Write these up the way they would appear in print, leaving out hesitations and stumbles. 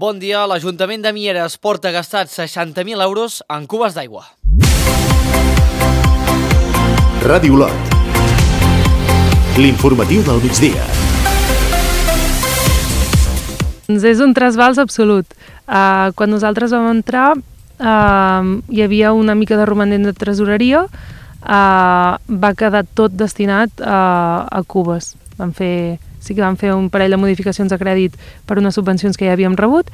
Bon dia, l'Ajuntament de Mieres porta gastats 60.000 euros en cubes d'aigua. Ràdio Olot. L'informatiu del migdia. És un trasbals absolut. Quan nosaltres vam entrar hi havia una mica de romanent de tresoreria, va quedar tot destinat a cubes. Sí que vam fer un parell de modificacions de crèdit per unes subvencions que ja havíem rebut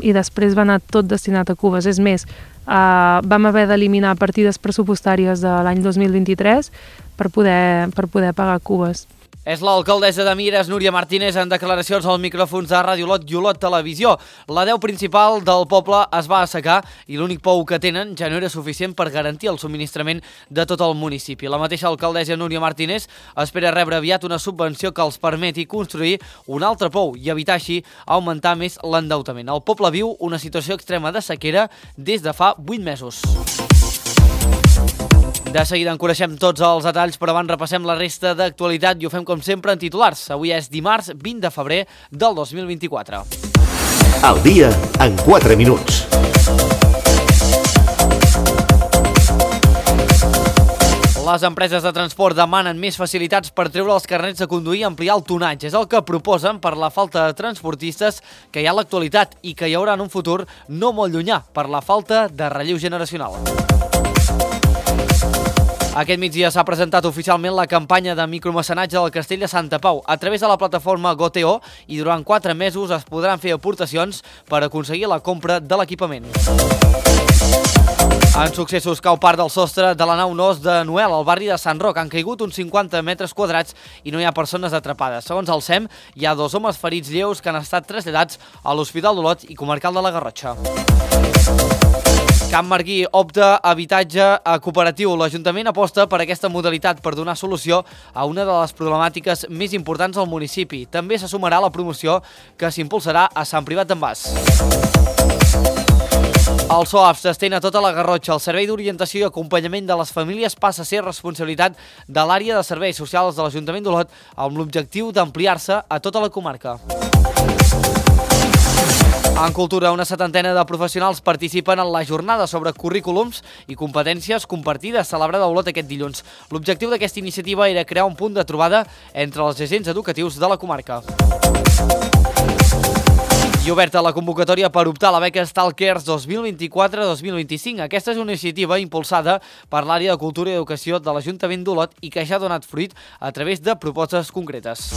i després va anar tot destinat a cubes. És més, vam haver d'eliminar partides pressupostàries de l'any 2023 per poder pagar cubes. És l'alcaldessa de Mieres, Núria Martínez, en declaracions als micròfons de Ràdio Olot i Olot Televisió. La deu principal del poble es va assecar i l'únic pou que tenen ja no era suficient per garantir el subministrament de tot el municipi. La mateixa alcaldessa Núria Martínez espera rebre aviat una subvenció que els permeti construir un altre pou i evitar així augmentar més l'endeutament. El poble viu una situació extrema de sequera des de fa 8 mesos. De seguida en coneixem tots els detalls, però abans repassem la resta d'actualitat i ho fem com sempre en titulars. Avui és dimarts 20 de febrer del 2024. El dia en 4 minuts. Les empreses de transport demanen més facilitats per treure els carnets de conduir i ampliar el tonatge. És el que proposen per la falta de transportistes que hi ha a l'actualitat i que hi haurà en un futur no molt llunyà per la falta de relleu generacional. Aquest migdia s'ha presentat oficialment la campanya de micromecenatge del Castell de Santa Pau a través de la plataforma Goteo i durant 4 mesos es podran fer aportacions per aconseguir la compra de l'equipament. En successos cau part del sostre de la nau Nos de Noel al barri de Sant Roc. Han caigut uns 50 metres quadrats i no hi ha persones atrapades. Segons el SEM, hi ha 2 homes ferits lleus que han estat traslladats a l'Hospital d'Olot i Comarcal de la Garrotxa. Can Marguí opta a habitatge cooperatiu. L'Ajuntament aposta per aquesta modalitat per donar solució a una de les problemàtiques més importants al municipi. També se sumarà la promoció que s'impulsarà a Sant Privat d'en Bas. El SOAF s'estén a tota la Garrotxa. El Servei d'Orientació i Acompanyament de les Famílies passa a ser responsabilitat de l'àrea de serveis socials de l'Ajuntament d'Olot amb l'objectiu d'ampliar-se a tota la comarca. En cultura, una 70ena de professionals participen en la jornada sobre currículums i competències compartides celebrada a Olot aquest dilluns. L'objectiu d'aquesta iniciativa era crear un punt de trobada entre els agents educatius de la comarca. I oberta la convocatòria per optar a la beca Stalkers 2024-2025. Aquesta és una iniciativa impulsada per l'àrea de Cultura i Educació de l'Ajuntament d'Olot i que ja ha donat fruit a través de propostes concretes.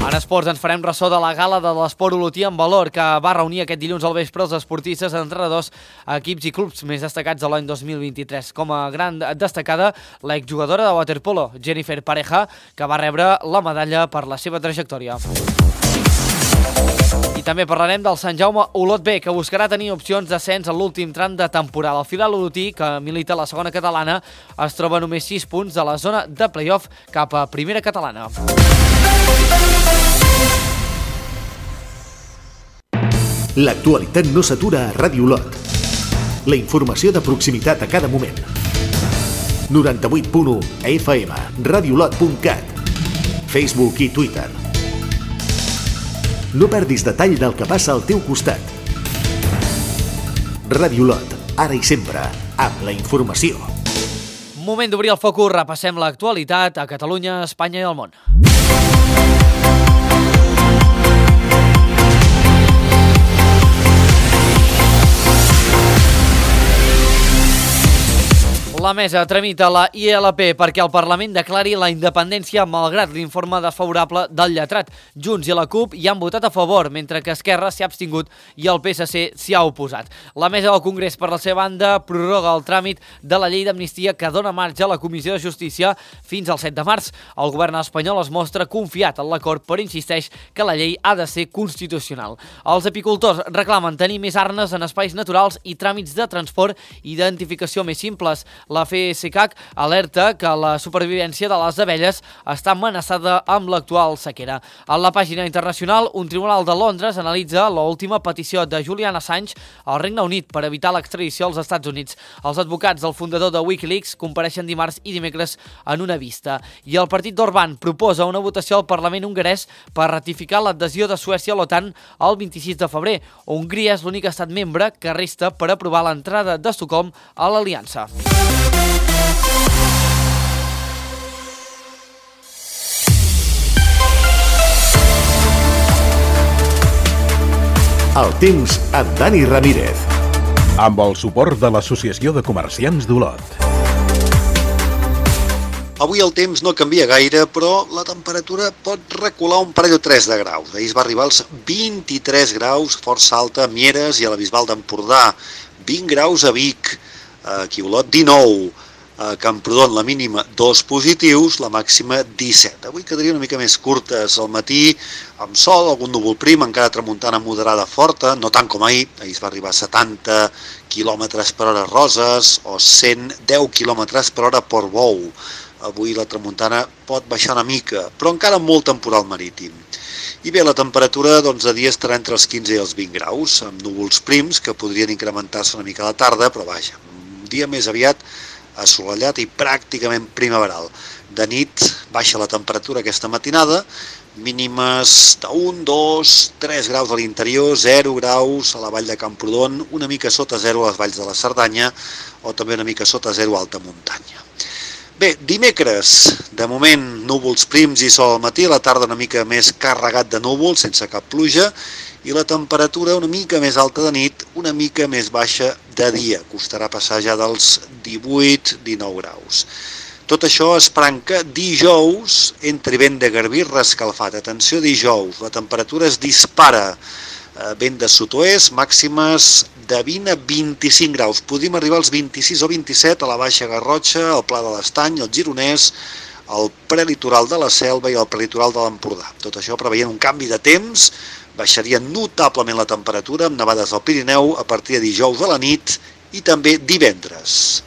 En esports ens farem ressò de la gala de l'esport olotí en valor que va reunir aquest dilluns al vespre els esportistes, entrenadors, equips i clubs més destacats de l'any 2023. Com a gran destacada, l'exjugadora de waterpolo, Jennifer Pareja, que va rebre la medalla per la seva trajectòria. I també parlarem del Sant Jaume Olot B, que buscarà tenir opcions d'ascens en l'últim tram de temporada. El filial olotí, que milita a la segona catalana, es troba a només 6 punts de la zona de play-off cap a primera catalana. L'actualitat no s'atura a Ràdio Olot. La informació de proximitat a cada moment. 98.1 FM, radioolot.cat, Facebook i Twitter. No perdis detall del que passa al teu costat. Ràdio Olot, ara i sempre, amb la informació. Moment d'obrir el focus, repassem l'actualitat a Catalunya, Espanya i el món. La mesa tramita la ILP perquè el Parlament declari la independència malgrat l'informe desfavorable del lletrat. Junts i la CUP hi han votat a favor, mentre que Esquerra s'hi ha abstingut i el PSC s'hi ha oposat. La mesa del Congrés, per la seva banda, prorroga el tràmit de la llei d'amnistia que dona marge a la Comissió de Justícia fins al 7 de març. El govern espanyol es mostra confiat en l'acord, però insisteix que la llei ha de ser constitucional. Els apicultors reclamen tenir més arnes en espais naturals i tràmits de transport i identificació més simples. La La FSCAC alerta que la supervivència de les abelles està amenaçada amb l'actual sequera. A la pàgina internacional, un tribunal de Londres analitza l'última petició de Julian Assange al Regne Unit per evitar l'extradició als Estats Units. Els advocats del fundador de Wikileaks compareixen dimarts i dimecres en una vista. I el partit d'Orbán proposa una votació al Parlament hongarès per ratificar l'adhesió de Suècia a l'OTAN el 26 de febrer. Hongria és l'únic estat membre que resta per aprovar l'entrada d'Estocolm a l'Aliança. El temps amb Dani Ramírez. Amb el suport de l'Associació de Comerciants d'Olot. Avui el temps no canvia gaire, però la temperatura pot recular un parell o 3 de graus. Ahir es va arribar als 23 graus, força alta a Mieres i a la Bisbal d'Empordà. 20 graus a Vic, aquí a Olot 19, a Camprodon la mínima 2 positius, la màxima 17. Avui quedaria una mica més curtes al matí, amb sol, algun núvol prim, encara tramuntana moderada forta, no tant com ahir es va arribar a 70 km per hora a Roses o 110 km per hora a Portbou. Avui la tramuntana pot baixar una mica, però encara amb molt temporal marítim. I bé, la temperatura de dia estarà entre els 15 i els 20 graus, amb núvols prims que podrien incrementar-se una mica a la tarda, però vaja, un dia més aviat assolellat i pràcticament primaveral. De nit baixa la temperatura aquesta matinada, mínimes de 1, 2, 3 graus a l'interior, 0 graus a la vall de Camprodon, una mica sota 0 a les valls de la Cerdanya o també una mica sota 0 a alta muntanya. Bé, dimecres, de moment núvols prims i sol al matí, a la tarda una mica més carregat de núvols, sense cap pluja, i la temperatura una mica més alta de nit, una mica més baixa de dia. Costarà passar ja dels 18-19 graus. Tot això esperant que dijous entri vent de garbí rescalfat. Atenció, dijous, la temperatura es dispara. Vent de sud-oest, màximes de 20 a 25 graus. Podríem arribar als 26 o 27 a la Baixa Garrotxa, al Pla de l'Estany, al Gironès, al prelitoral de la Selva i al prelitoral de l'Empordà. Tot això preveient un canvi de temps, baixaria notablement la temperatura amb nevades al Pirineu a partir de dijous a la nit i també divendres.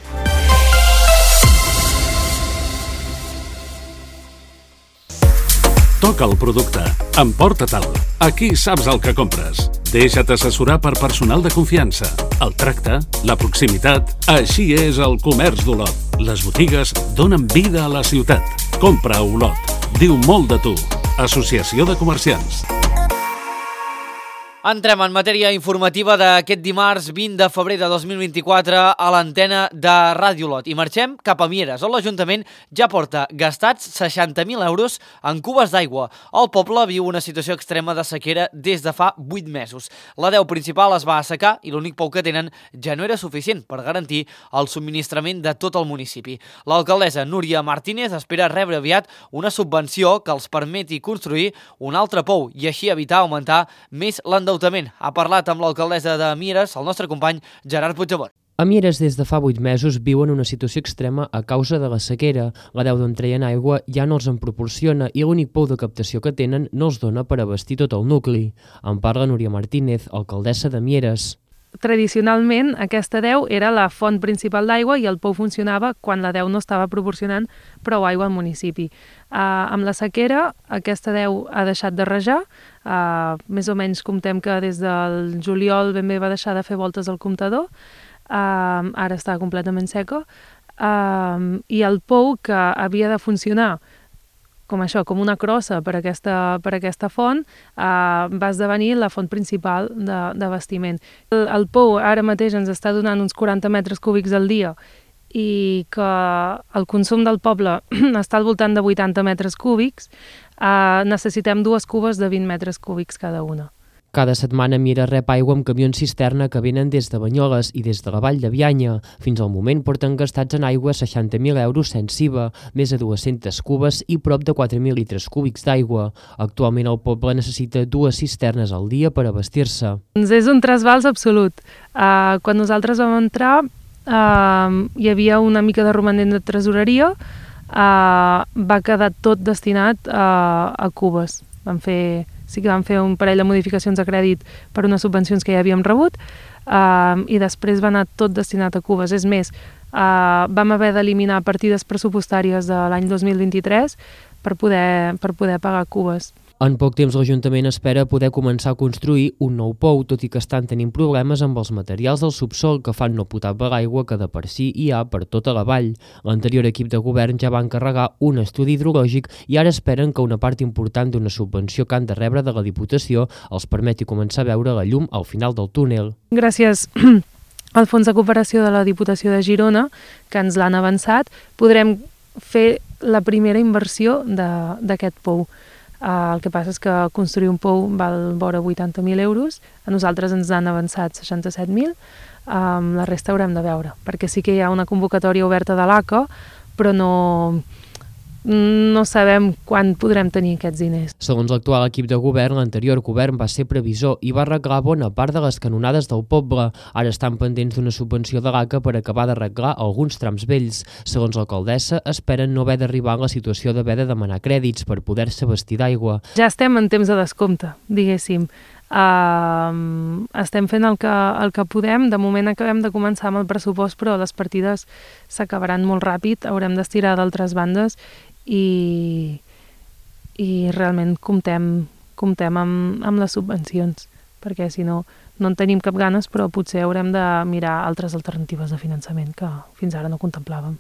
Toca el producte. Emporta-te'l. Aquí saps el que compres. Deixa't assessorar per personal de confiança. El tracte, la proximitat... Així és el comerç d'Olot. Les botigues donen vida a la ciutat. Compra a Olot. Diu molt de tu. Associació de Comerciants. Entrem en matèria informativa d'aquest dimarts 20 de febrer de 2024 a l'antena de Ràdio Olot. I marxem cap a Mieres, on l'Ajuntament ja porta gastats 60.000 euros en cubes d'aigua. El poble viu una situació extrema de sequera des de fa 8 mesos. La deu principal es va assecar i l'únic pou que tenen ja no era suficient per garantir el subministrament de tot el municipi. L'alcaldessa Núria Martínez espera rebre aviat una subvenció que els permeti construir un altre pou i així evitar augmentar més l'endeutament. Ha parlat amb l'alcaldessa de Mieres, el nostre company Gerard Puigdemont. A Mieres des de fa 8 mesos viuen una situació extrema a causa de la sequera. La deu d'on treien aigua ja no els en proporciona i l'únic pou de captació que tenen no els dona per abastir tot el nucli. En parla Núria Martínez, alcaldessa de Mieres. Tradicionalment, aquesta deu era la font principal d'aigua i el pou funcionava quan la deu no estava proporcionant prou aigua al municipi. Amb la sequera, aquesta deu ha deixat de rajar. Més o menys comptem que des del juliol ben bé va deixar de fer voltes al comptador. Ara està completament seca. I el pou que havia de funcionar com una crossa per aquesta font, va esdevenir la font principal d'abastiment. El pou ara mateix ens està donant uns 40 metres cúbics al dia i que el consum del poble està al voltant de 80 metres cúbics, necessitem 2 cubes de 20 metres cúbics cada una. Cada setmana Mieres rep aigua amb camions cisterna que venen des de Banyoles i des de la vall de Bianya. Fins al moment porten gastats en aigua 60.000 euros sense IVA, més de 200 cubes i prop de 4.000 litres cúbics d'aigua. Actualment el poble necessita 2 cisternes al dia per abastir-se. És un trasbals absolut. Quan nosaltres vam entrar hi havia una mica de romanent de tresoreria, va quedar tot destinat a cubes. Sí que vam fer un parell de modificacions de crèdit per unes subvencions que ja havíem rebut i després va anar tot destinat a cubes. És més, vam haver d'eliminar partides pressupostàries de l'any 2023 per poder pagar cubes. En poc temps l'Ajuntament espera poder començar a construir un nou pou, tot i que estan tenint problemes amb els materials del subsol que fan no potable l'aigua que de per si hi ha per tota la vall. L'anterior equip de govern ja va encarregar un estudi hidrològic i ara esperen que una part important d'una subvenció que han de rebre de la Diputació els permeti començar a veure la llum al final del túnel. Gràcies al Fons de Cooperació de la Diputació de Girona, que ens l'han avançat, podrem fer la primera inversió d'aquest pou. El que passa és que construir un pou val vora 80.000 euros, a nosaltres ens han avançat 67.000, la resta haurem de veure, perquè sí que hi ha una convocatòria oberta de l'ACA, però no sabem quan podrem tenir aquests diners. Segons l'actual equip de govern, l'anterior govern va ser previsor i va arreglar bona part de les canonades del poble. Ara estan pendents d'una subvenció de l'ACA per acabar d'arreglar alguns trams vells. Segons l'alcaldessa, esperen no haver d'arribar en la situació d'haver de demanar crèdits per poder-se abastir d'aigua. Ja estem en temps de descompte, diguéssim. Estem fent el que podem. De moment acabem de començar amb el pressupost, però les partides s'acabaran molt ràpid, haurem d'estirar d'altres bandes i realment comptem amb les subvencions, perquè si no en tenim cap ganes, però potser haurem de mirar altres alternatives de finançament que fins ara no contemplàvem.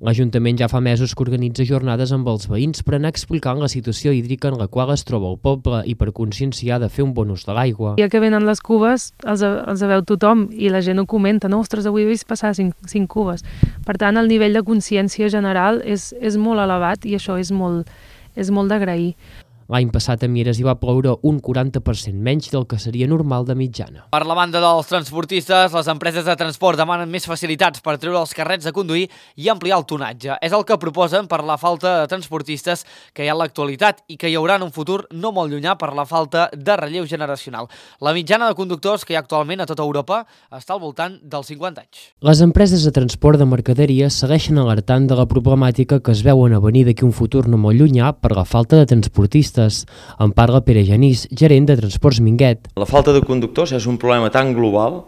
L'Ajuntament ja fa mesos que organitza jornades amb els veïns per anar explicant la situació hídrica en la qual es troba el poble i per conscienciar de fer un bon ús de l'aigua. Ja que venen les cubes, els veu tothom i la gent ho comenta, no? Ostres, avui he vist passar 5 cubes. Per tant, el nivell de consciència general és molt elevat i això és molt d'agrair. L'any passat a Mieres hi va ploure un 40% menys del que seria normal de mitjana. Per la banda dels transportistes, les empreses de transport demanen més facilitats per treure els carrets a conduir i ampliar el tonatge. És el que proposen per la falta de transportistes que hi ha en l'actualitat i que hi haurà en un futur no molt llunyà per la falta de relleu generacional. La mitjana de conductors que hi ha actualment a tota Europa està al voltant dels 50 anys. Les empreses de transport de mercaderies segueixen alertant de la problemàtica que es veuen a venir d'aquí un futur no molt llunyà per la falta de transportistes. En parla Pere Genís, gerent de Transports Minguet. La falta de conductors és un problema tan global,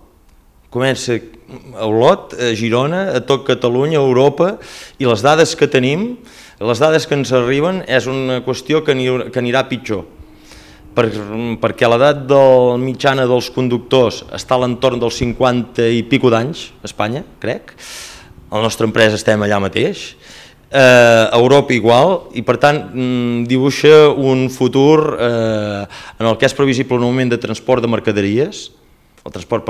comença a Olot, a Girona, a tot Catalunya, a Europa, i les dades que tenim, les dades que ens arriben, és una qüestió que anirà pitjor. Perquè l'edat mitjana dels conductors està a l'entorn dels 50 i pico d'anys, a Espanya, crec. A la nostra empresa estem allà mateix. A Europa igual, i per tant dibuixa un futur en el que és previsible un augment de transport de mercaderies, el transport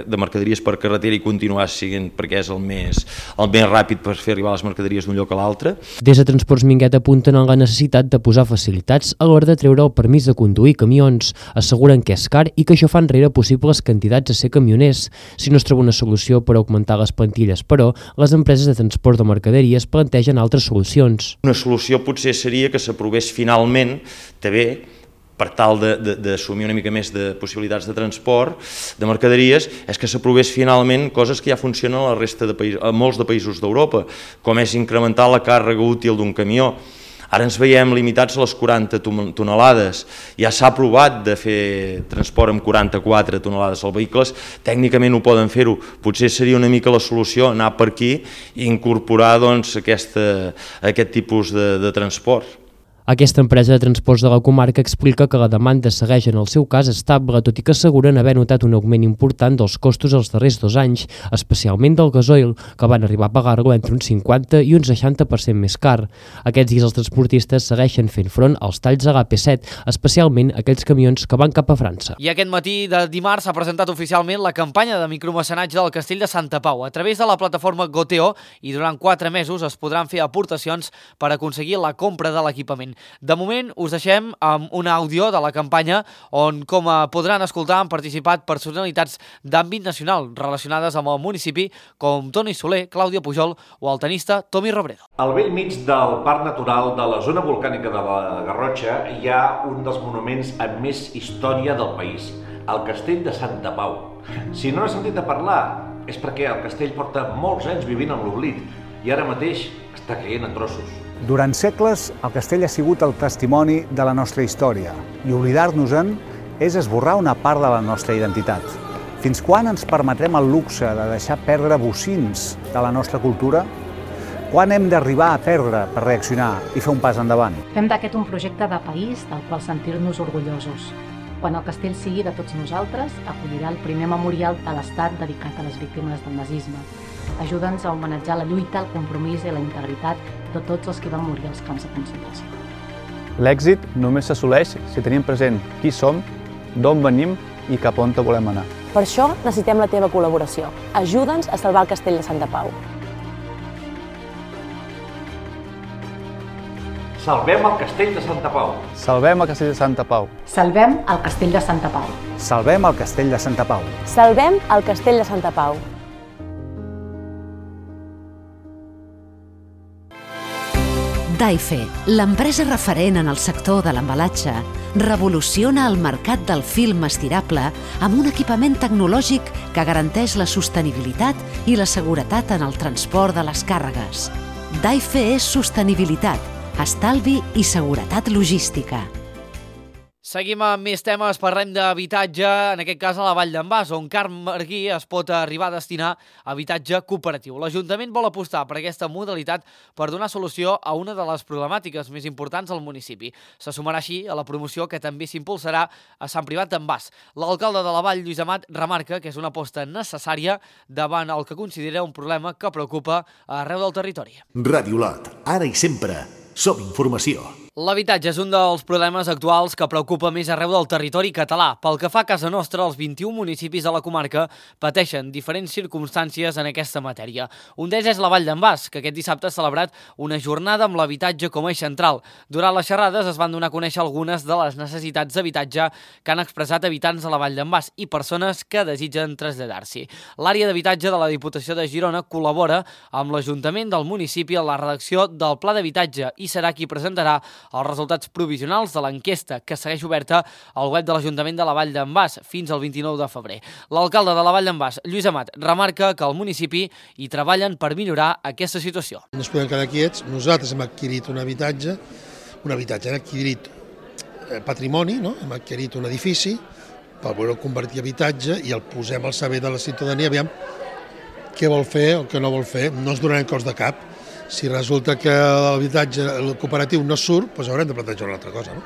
de mercaderies per carretera i continuar siguent perquè és el més ràpid per fer arribar les mercaderies d'un lloc a l'altre. Des de Transports Minguet apunten en la necessitat de posar facilitats a l'hora de treure el permís de conduir camions. Asseguren que és car i que això fa enrere possibles candidats a ser camioners. Si no es troba una solució per augmentar les plantilles, però, les empreses de transport de mercaderies plantegen altres solucions. Una solució potser seria que s'aprovés finalment, també, per tal d'assumir una mica més de possibilitats de transport, de mercaderies, és que s'aprovés finalment coses que ja funcionen a molts de països d'Europa, com és incrementar la càrrega útil d'un camió. Ara ens veiem limitats a les 40 tonelades. Ja s'ha provat de fer transport amb 44 tonelades als vehicles, tècnicament ho poden fer-ho. Potser seria una mica la solució anar per aquí i incorporar aquest tipus de transport. Aquesta empresa de transports de la comarca explica que la demanda segueix en el seu cas estable, tot i que asseguren haver notat un augment important dels costos els darrers 2 anys, especialment del gasoil, que van arribar a pagar-lo entre un 50 i un 60% més car. Aquests dies els transportistes segueixen fent front als talls a l'AP7, especialment aquells camions que van cap a França. I aquest matí de dimarts s'ha presentat oficialment la campanya de micromecenatge del Castell de Santa Pau a través de la plataforma Goteo, i durant 4 mesos es podran fer aportacions per aconseguir la compra de l'equipament. De moment us deixem amb un àudio de la campanya on, com podran escoltar, han participat personalitats d'àmbit nacional relacionades amb el municipi com Toni Soler, Clàudia Pujol o el tenista Tomi Robredo. Al bell mig del Parc Natural de la zona volcànica de la Garrotxa hi ha un dels monuments amb més història del país, el Castell de Santa Pau. Si no n'has sentit a parlar, és perquè el castell porta molts anys vivint en l'oblit i ara mateix està caient a trossos. Durant segles, el castell ha sigut el testimoni de la nostra història i oblidar-nos-en és esborrar una part de la nostra identitat. Fins quan ens permetrem el luxe de deixar perdre bocins de la nostra cultura? Quan hem d'arribar a perdre per reaccionar i fer un pas endavant? Fem d'aquest un projecte de país del qual sentir-nos orgullosos. Quan el castell sigui de tots nosaltres, acollirà el primer memorial de l'Estat dedicat a les víctimes del nazisme. Ajuda'ns a homenatjar la lluita, el compromís i la integritat de tots els que van morir als camps de concentració. L'èxit només s'assoleix si tenim present qui som, d'on venim i cap on volem anar. Per això necessitem la teva col·laboració. Ajuda'ns a salvar el castell de Santa Pau. Salvem el castell de Santa Pau. Salvem el castell de Santa Pau. Salvem el castell de Santa Pau. Salvem el castell de Santa Pau. Salvem el castell de Santa Pau. Daife, l'empresa referent en el sector de l'embalatge, revoluciona el mercat del film estirable amb un equipament tecnològic que garanteix la sostenibilitat i la seguretat en el transport de les càrregues. Daife és sostenibilitat, estalvi i seguretat logística. Seguim amb més temes, parlem d'habitatge, en aquest cas a la Vall d'en Bas, on Can Marguí es pot arribar a destinar a habitatge cooperatiu. L'Ajuntament vol apostar per aquesta modalitat per donar solució a una de les problemàtiques més importants al municipi. Se sumarà així a la promoció que també s'impulsarà a Sant Privat d'en Bas. L'alcalde de la Vall, Lluís Amat, remarca que és una aposta necessària davant el que considera un problema que preocupa arreu del territori. Ràdio Lot, ara i sempre, som informació. L'habitatge és un dels problemes actuals que preocupa més arreu del territori català. Pel que fa a casa nostra, els 21 municipis de la comarca pateixen diferents circumstàncies en aquesta matèria. Un d'ells és la Vall d'en Bas, que aquest dissabte ha celebrat una jornada amb l'habitatge com a eix central. Durant les xerrades es van donar a conèixer algunes de les necessitats d'habitatge que han expressat habitants de la Vall d'en Bas i persones que desitgen traslladar-s'hi. L'àrea d'habitatge de la Diputació de Girona col·labora amb l'Ajuntament del municipi en la redacció del Pla d'Habitatge i serà qui presentarà els resultats provisionals de l'enquesta que segueix oberta al web de l'Ajuntament de la Vall d'en Bas fins al 29 de febrer. L'alcalde de la Vall d'en Bas, Lluís Amat, remarca que al municipi hi treballen per millorar aquesta situació. No ens podem quedar quiets. Nosaltres hem adquirit un habitatge, hem adquirit patrimoni, no? Hem adquirit un edifici per voler convertir habitatge i el posem al servei de la ciutadania, aviam què vol fer o què no vol fer, no ens donarem cops de cap. Si resulta que l'habitatge cooperatiu no surt, doncs haurem de plantejar una altra cosa, no?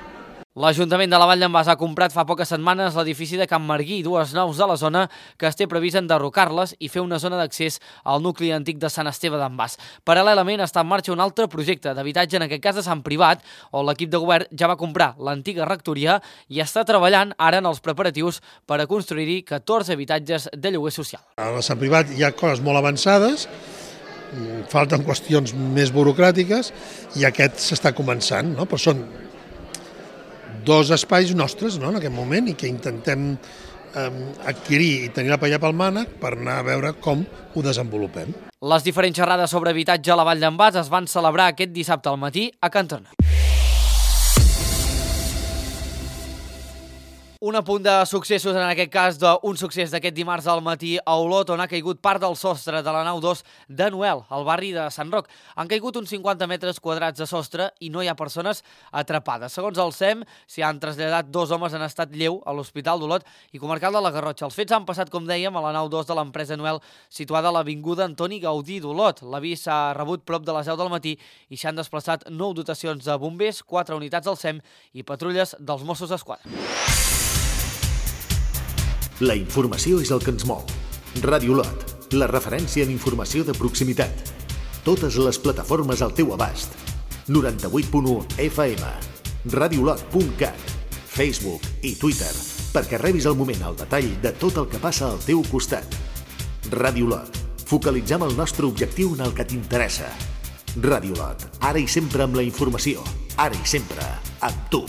L'Ajuntament de la Vall d'en Bas ha comprat fa poques setmanes l'edifici de Can Marguí, dues naus de la zona que es té previst enderrocar-les i fer una zona d'accés al nucli antic de Sant Esteve d'en Bas. Paral·lelament està en marxa un altre projecte d'habitatge, en aquest cas de Sant Privat, on l'equip de govern ja va comprar l'antiga rectoria i està treballant ara en els preparatius per a construir-hi 14 habitatges de lloguer social. A Sant Privat hi ha coses molt avançades, falten qüestions més burocràtiques i aquest s'està començant, no? Però són dos espais nostres, no?, en aquest moment i que intentem adquirir i tenir la paella pel mànec per anar a veure com ho desenvolupem. Les diferents xerrades sobre habitatge a la Vall d'en Bas es van celebrar aquest dissabte al matí a Can Tona. Un apunt de successos, en aquest cas d'un succés d'aquest dimarts al matí a Olot, on ha caigut part del sostre de la nau 2 de Noel, al barri de Sant Roc. Han caigut uns 50 metres quadrats de sostre i no hi ha persones atrapades. Segons el SEM, s'hi han traslladat 2 homes en estat lleu a l'Hospital d'Olot i Comarcal de la Garrotxa. Els fets han passat, com dèiem, a la nau 2 de l'empresa Noel, situada a l'avinguda Antoni Gaudí d'Olot. L'avís s'ha rebut prop de les 10 del matí i s'han desplaçat 9 dotacions de bombers, 4 unitats del SEM i patrulles dels Mossos d'Esquadra. La informació és el que ens mou. Ràdio Lot, la referència en informació de proximitat. Totes les plataformes al teu abast. 98.1 FM, radiolot.cat, Facebook i Twitter, perquè rebis al moment el detall de tot el que passa al teu costat. Ràdio Lot, focalitzem el nostre objectiu en el que t'interessa. Ràdio Lot, ara i sempre amb la informació, ara i sempre amb tu.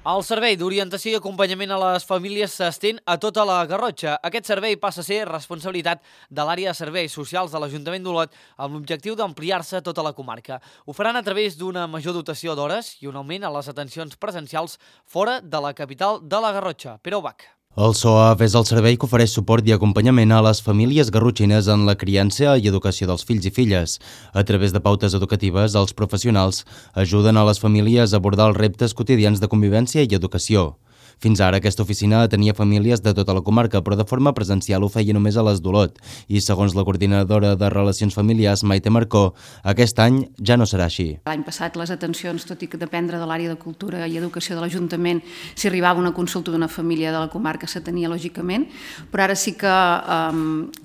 El servei d'orientació i acompanyament a les famílies s'estén a tota la Garrotxa. Aquest servei passa a ser responsabilitat de l'àrea de serveis socials de l'Ajuntament d'Olot amb l'objectiu d'ampliar-se a tota la comarca. Ho faran a través d'una major dotació d'hores i un augment a les atencions presencials fora de la capital de la Garrotxa. Pere Ubach. El SOAF és el servei que ofereix suport i acompanyament a les famílies garrotxines en la criança i educació dels fills i filles. A través de pautes educatives, els professionals ajuden a les famílies a abordar els reptes quotidians de convivència i educació. Fins ara aquesta oficina atenia famílies de tota la comarca, però de forma presencial ho feia només a les d'Olot. I segons la coordinadora de Relacions Familiars, Maite Marcó, aquest any ja no serà així. L'any passat les atencions, tot i que dependre de l'àrea de Cultura i Educació de l'Ajuntament, si arribava una consulta d'una família de la comarca s'atenia lògicament, però ara sí que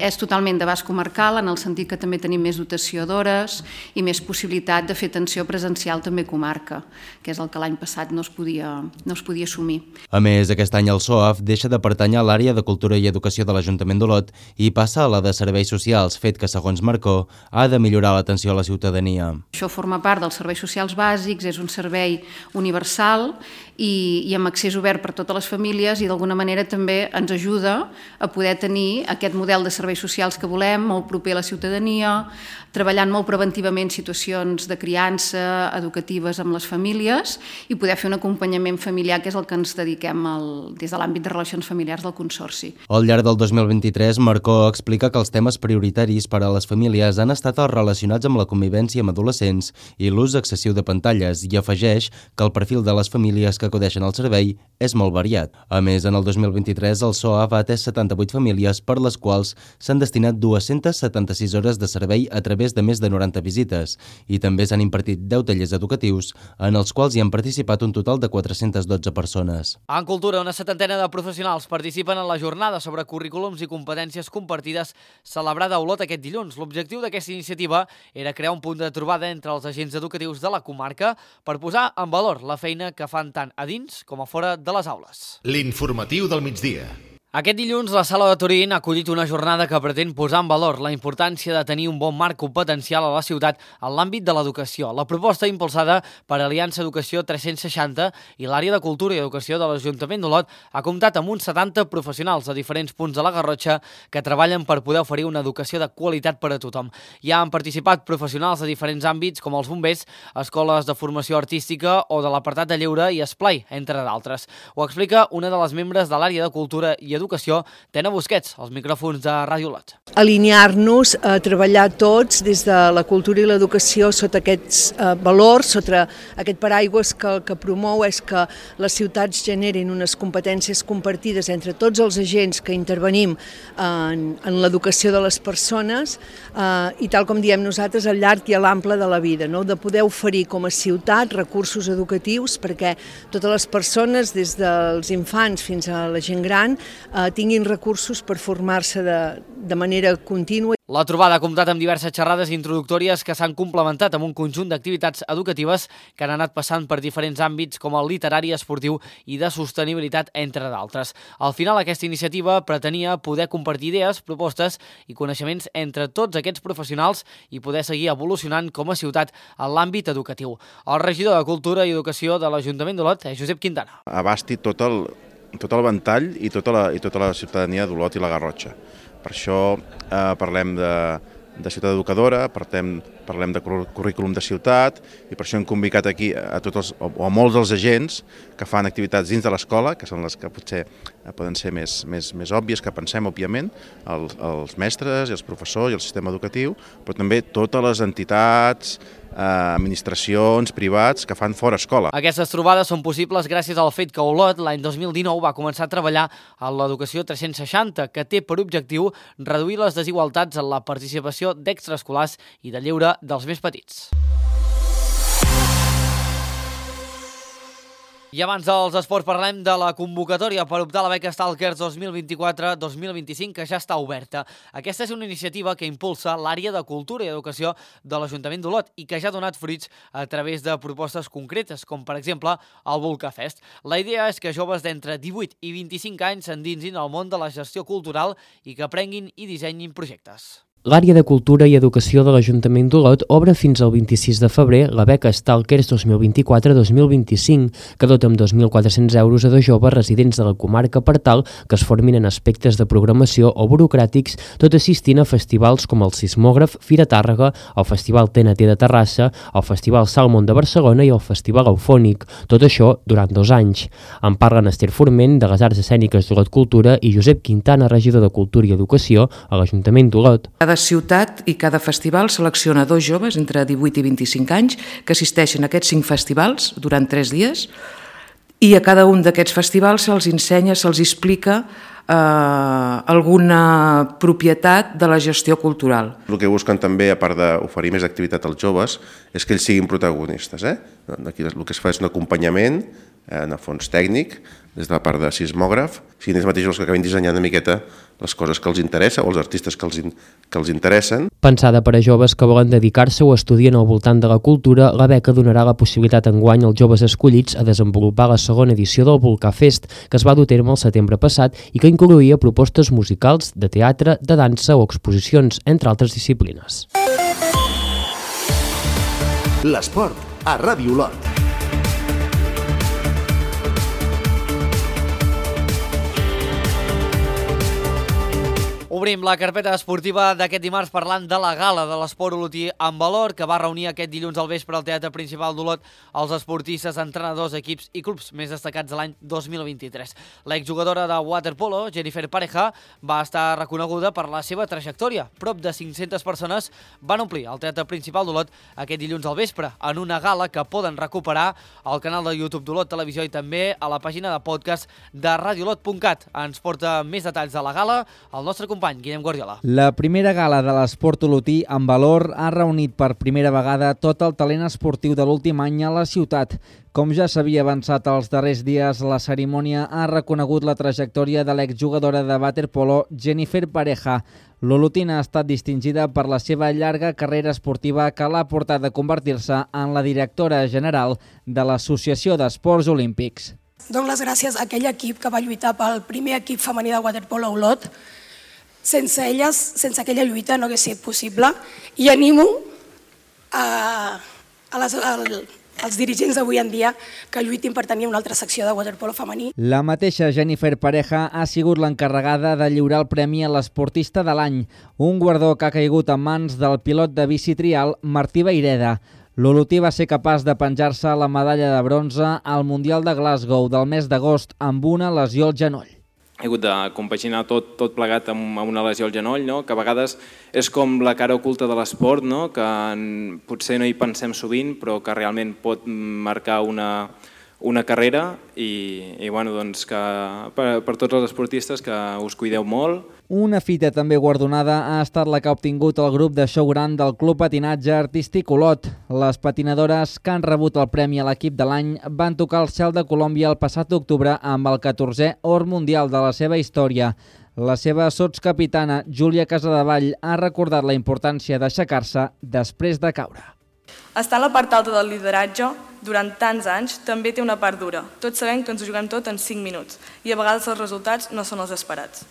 és totalment d'abast comarcal, en el sentit que també tenim més dotació d'hores i més possibilitat de fer atenció presencial també comarca, que és el que l'any passat no es podia assumir. A més, aquest any el SOAF deixa de pertànyer a l'àrea de Cultura i Educació de l'Ajuntament d'Olot i passa a la de Serveis Socials, fet que, segons Marcó, ha de millorar l'atenció a la ciutadania. Això forma part dels serveis socials bàsics, és un servei universal i amb accés obert per totes les famílies i d'alguna manera també ens ajuda a poder tenir aquest model de serveis socials que volem, molt proper a la ciutadania, treballant molt preventivament situacions de criança, educatives amb les famílies i poder fer un acompanyament familiar, que és el que ens dediquem des de l'àmbit de relacions familiars del Consorci. Al llarg del 2023, Marcó explica que els temes prioritaris per a les famílies han estat els relacionats amb la convivència amb adolescents i l'ús excessiu de pantalles i afegeix que el perfil de les famílies que acudeixen al servei és molt variat. A més, en el 2023 el SOAF ha atès 78 famílies per les quals s'han destinat 276 hores de servei a través de més de 90 visites i també s'han impartit 10 tallers educatius en els quals hi han participat un total de 412 persones. En Cultura, una setantena de professionals participen en la jornada sobre currículums i competències compartides celebrada a Olot aquest dilluns. L'objectiu d'aquesta iniciativa era crear un punt de trobada entre els agents educatius de la comarca per posar en valor la feina que fan tant a dins com a fora de les aules. L'informatiu del migdia. Aquest dilluns, la Sala de Turín ha acollit una jornada que pretén posar en valor la importància de tenir un bon marc competencial a la ciutat en l'àmbit de l'educació. La proposta, impulsada per Aliança Educació 360 i l'àrea de Cultura i Educació de l'Ajuntament d'Olot, ha comptat amb uns 70 professionals de diferents punts de la Garrotxa que treballen per poder oferir una educació de qualitat per a tothom. Hi han participat professionals de diferents àmbits com els bombers, escoles de formació artística o de l'apartat de lleure i esplai, entre d'altres. Ho explica una de les membres de l'àrea de Cultura i Educació, Tena Busquets, als micròfons de Ràdio Olot. Alinear-nos a treballar tots des de la cultura i l'educació sota aquests valors, sota aquest paraigües que el que promou és que les ciutats generin unes competències compartides entre tots els agents que intervenim en l'educació de les persones i tal com diem nosaltres al llarg i a l'ample de la vida, de poder oferir com a ciutat recursos educatius perquè totes les persones, des dels infants fins a la gent gran, tinguin recursos per formar-se de manera contínua. La trobada ha comptat amb diverses xerrades introductòries que s'han complementat amb un conjunt d'activitats educatives que han anat passant per diferents àmbits com el literari, esportiu i de sostenibilitat, entre d'altres. Al final, aquesta iniciativa pretenia poder compartir idees, propostes i coneixements entre tots aquests professionals i poder seguir evolucionant com a ciutat en l'àmbit educatiu. El regidor de Cultura i Educació de l'Ajuntament d'Olot és Josep Quintana. Abasti tot el ventall i tota la ciutadania d'Olot i la Garrotxa. Per això parlem de ciutat educadora, parlem de currículum de ciutat i per això hem convidat aquí a tots o a molts dels agents que fan activitats dins de l'escola, que són les que potser poden ser més òbvies que pensem, òbviament, els mestres i els professors i el sistema educatiu, però també totes les entitats, administracions, privats que fan fora escola. Aquestes trobades són possibles gràcies al fet que Olot l'any 2019 va començar a treballar en l'Educació 360, que té per objectiu reduir les desigualtats en la participació d'extraescolars i de lleure dels més petits. I abans dels esports parlem de la convocatòria per optar a la beca Stalkers 2024-2025 que ja està oberta. Aquesta és una iniciativa que impulsa l'àrea de Cultura i Educació de l'Ajuntament d'Olot i que ja ha donat fruits a través de propostes concretes, com per exemple el Volcafest. La idea és que joves d'entre 18 i 25 anys s'endinsin al món de la gestió cultural i que aprenguin i dissenyin projectes. L'àrea de Cultura i Educació de l'Ajuntament d'Olot obre fins al 26 de febrer la beca Stalkers 2024-2025, que dota amb 2.400 euros a 2 joves residents de la comarca per tal que es formin en aspectes de programació o burocràtics, tot assistint a festivals com el Sismògraf, Fira Tàrrega, el Festival TNT de Terrassa, el Festival Salmon de Barcelona i el Festival Eufònic, tot això durant 2 anys. En parlen Esther Forment, de les Arts Escèniques d'Olot Cultura, i Josep Quintana, regidor de Cultura i Educació a l'Ajuntament d'Olot. Cada ciutat i cada festival selecciona 2 joves entre 18 i 25 anys que assisteixen a aquests 5 festivals durant 3 dies i a cada un d'aquests festivals se'ls ensenya, se'ls explica alguna propietat de la gestió cultural. El que busquen també, a part d'oferir més activitat als joves, és que ells siguin protagonistes. Aquí el que es fa és un acompanyament, en el fons tècnic, des de la part de sismògraf, siguin ells mateixos els que acabin dissenyant una miqueta les coses que els interessa o els artistes que els interessen. Pensada per a joves que volen dedicar-se o estudien al voltant de la cultura, la beca donarà la possibilitat enguany als joves escollits a desenvolupar la segona edició del Volcà Fest, que es va dur a terme el setembre passat i que incloïa propostes musicals, de teatre, de dansa o exposicions, entre altres disciplines. L'esport a Ràdio Olot. Obrim la carpeta esportiva d'aquest dimarts parlant de la gala de l'esport olotí en valor, que va reunir aquest dilluns al vespre al Teatre Principal d'Olot els esportistes, entrenadors, equips i clubs més destacats de l'any 2023. L'exjugadora de waterpolo, Jennifer Pareja, va estar reconeguda per la seva trajectòria. Prop de 500 persones van omplir el Teatre Principal d'Olot aquest dilluns al vespre en una gala que poden recuperar al canal de YouTube d'Olot Televisió i també a la pàgina de podcast de radiolot.cat. Ens porta més detalls de la gala el nostre company Guillem Guardiola. La primera gala de l'esport olotí en valor ha reunit per primera vegada tot el talent esportiu de l'últim any a la ciutat. Com ja s'havia avançat els darrers dies, la cerimònia ha reconegut la trajectòria de l'exjugadora de waterpolo Jennifer Pareja. L'olotina ha estat distingida per la seva llarga carrera esportiva que l'ha portat a convertir-se en la directora general de l'Associació d'Esports Olímpics. Dono les gràcies a aquell equip que va lluitar pel primer equip femení de waterpolo a Olot. Sense elles, sense aquella lluita no hauria sigut possible, i animo als dirigents d'avui en dia que lluitin per tenir una altra secció de waterpolo femení. La mateixa Jennifer Pareja ha sigut l'encarregada de lliurar el premi a l'esportista de l'any, un guardó que ha caigut en mans del pilot de bici trial Martí Vaireda. L'olotí va ser capaç de penjar-se la medalla de bronze al Mundial de Glasgow del mes d'agost amb una lesió al genoll. He hagut de compaginar tot plegat amb una lesió al genoll, que a vegades és com la cara oculta de l'esport, que potser no hi pensem sovint, però que realment pot marcar una carrera i que per tots els esportistes que us cuideu molt. Una fita també guardonada ha estat la que ha obtingut el grup de show gran del Club Patinatge Artístic Olot. Les patinadores que han rebut el premi a l'equip de l'any van tocar el cel de Colòmbia el passat octubre amb el 14è or mundial de la seva història. La seva sotscapitana, Júlia Casadevall, ha recordat la importància d'aixecar-se després de caure. Estar a la part alta del lideratge durant tants anys també té una part dura. Tots sabem que ens ho juguem tot en 5 minuts i a vegades els resultats no són els esperats.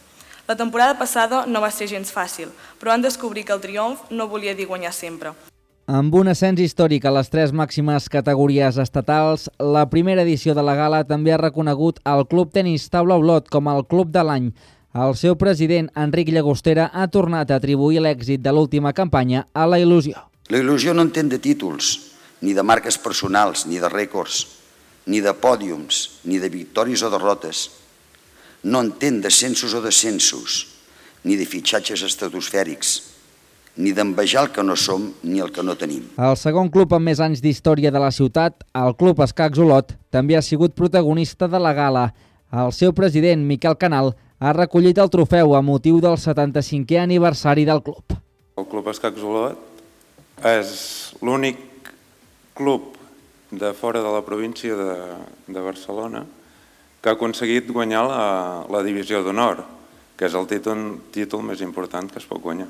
La temporada passada no va ser gens fàcil, però han descobrir que el triomf no volia dir guanyar sempre. Amb un ascens històric a les 3 màximes categories estatals, la primera edició de la gala també ha reconegut el Club Tenis Taula Olot com el Club de l'any. El seu president, Enric Llagostera, ha tornat a atribuir l'èxit de l'última campanya a la il·lusió. La il·lusió no entén de títols, ni de marques personals, ni de rècords, ni de pòdiums, ni de victòries o derrotes. No entén d'ascensos o descensos, ni de fitxatges estratosfèrics, ni d'envejar el que no som ni el que no tenim. El segon club amb més anys d'història de la ciutat, el Club Escacs Olot, també ha sigut protagonista de la gala. El seu president, Miquel Canal, ha recollit el trofeu a motiu del 75è aniversari del club. El Club Escacs Olot és l'únic club de fora de la província de Barcelona que ha aconseguit guanyar la divisió d'honor, que és el títol més important que es pot guanyar.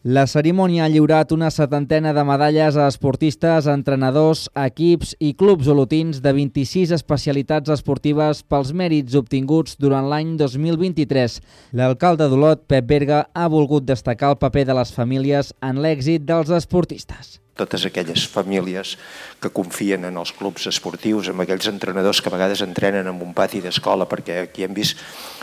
La cerimònia ha lliurat una 70ena de medalles a esportistes, entrenadors, equips i clubs olotins de 26 especialitats esportives pels mèrits obtinguts durant l'any 2023. L'alcalde d'Olot, Pep Berga, ha volgut destacar el paper de les famílies en l'èxit dels esportistes. Totes aquelles famílies que confien en els clubs esportius, amb aquells entrenadors que a vegades entrenen en un pati d'escola, perquè aquí hem vist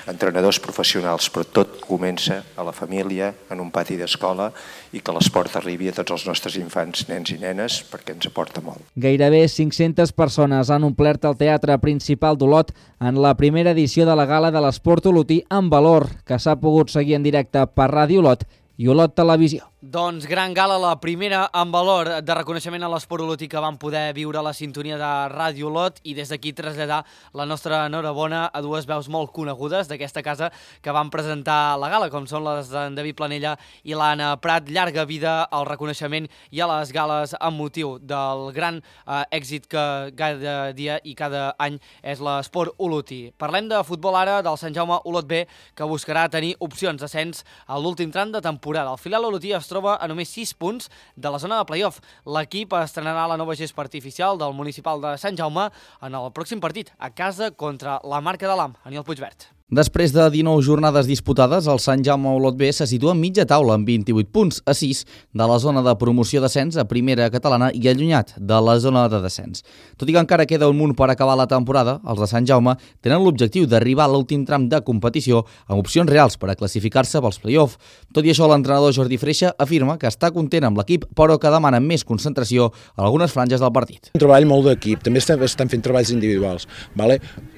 entrenadors professionals, però tot comença a la família, en un pati d'escola, i que l'esport arribi a tots els nostres infants, nens i nenes, perquè ens aporta molt. Gairebé 500 persones han omplert el Teatre Principal d'Olot en la primera edició de la Gala de l'Esport Olotí en Valor, que s'ha pogut seguir en directe per Ràdio Olot i Olot Televisió. Doncs gran gala, la primera en valor de reconeixement a l'esport olotí que van poder viure a la sintonia de Ràdio Olot, i des d'aquí traslladar la nostra enhorabona a dues veus molt conegudes d'aquesta casa que van presentar la gala, com són les d'en David Planella i l'Anna Prat. Llarga vida al reconeixement i a les gales amb motiu del gran èxit que cada dia i cada any és l'esport olotí. Parlem de futbol ara, del Sant Jaume Olot B, que buscarà tenir opcions d'ascens a l'últim tram de temporada. El filial olotí es troba a només 6 punts de la zona de play-off. L'equip estrenarà la nova gespa artificial del municipal de Sant Jaume en el pròxim partit, a casa contra la Marca de l'Am. Aniol Puigvert. Després de 19 jornades disputades, el Sant Jaume Olot B se situa en mitja taula amb 28 punts, a 6 de la zona de promoció d'ascens a primera catalana i allunyat de la zona de descens. Tot i que encara queda un munt per acabar la temporada, els de Sant Jaume tenen l'objectiu d'arribar a l'últim tram de competició amb opcions reals per a classificar-se pels play-off. Tot i això, l'entrenador Jordi Freixa afirma que està content amb l'equip, però que demana més concentració a algunes franges del partit. Un treball molt d'equip, també estan fent treballs individuals,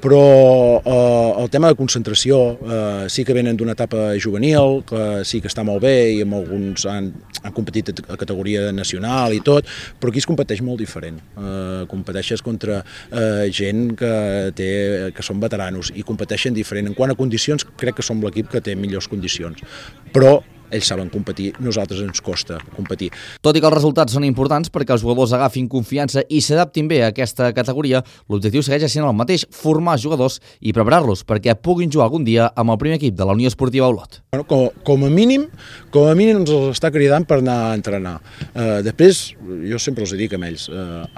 però el tema de concentració sí que venen d'una etapa juvenil, que sí que està molt bé i amb alguns han competit a categoria nacional i tot, però aquí es competeix molt diferent. Competeixes contra gent que són veteranos i competeixen diferent. En quant a condicions, crec que som l'equip que té millors condicions, però ells saben competir, nosaltres ens costa competir. Tot i que els resultats són importants perquè els jugadors agafin confiança i s'adaptin bé a aquesta categoria, l'objectiu segueix sent el mateix, formar jugadors i preparar-los perquè puguin jugar algun dia amb el primer equip de la Unió Esportiva Olot. Com a mínim ens els està cridant per anar a entrenar. Després, jo sempre els dic a ells,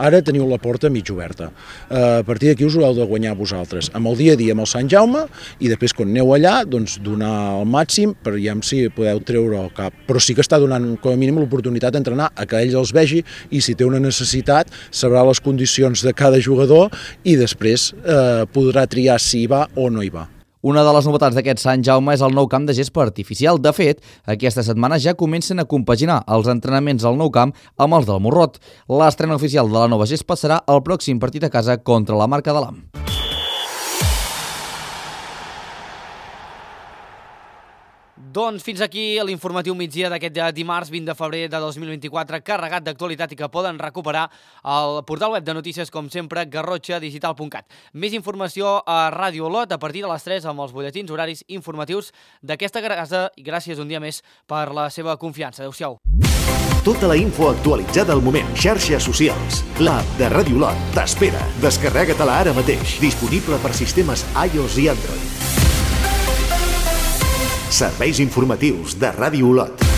ara teniu la porta mig oberta. A partir d'aquí us ho heu de guanyar vosaltres, amb el dia a dia amb el Sant Jaume, i després quan aneu allà, doncs donar el màxim per ja si podeu treure el cap, però sí que està donant com a mínim l'oportunitat d'entrenar a que ell els vegi i si té una necessitat sabrà les condicions de cada jugador i després podrà triar si hi va o no hi va. Una de les novetats d'aquest Sant Jaume és el nou camp de gespa artificial. De fet, aquesta setmana ja comencen a compaginar els entrenaments al nou camp amb els del Morrot. L'estrena oficial de la nova gespa serà el pròxim partit a casa contra la Marca de l'Am. Doncs fins aquí l'informatiu migdia d'aquest dimarts 20 de febrer de 2024, carregat d'actualitat i que poden recuperar al portal web de notícies, com sempre, garrotxadigital.cat. Més informació a Ràdio Olot a partir de les 3 amb els butlletins horaris informatius d'aquesta casa i gràcies un dia més per la seva confiança. Adéu-siau. Tota la info actualitzada al moment. Xarxes socials. L'app de Ràdio Olot t'espera. Descarrega-te-la ara mateix. Disponible per sistemes iOS i Android. Serveis informatius de Ràdio Olot.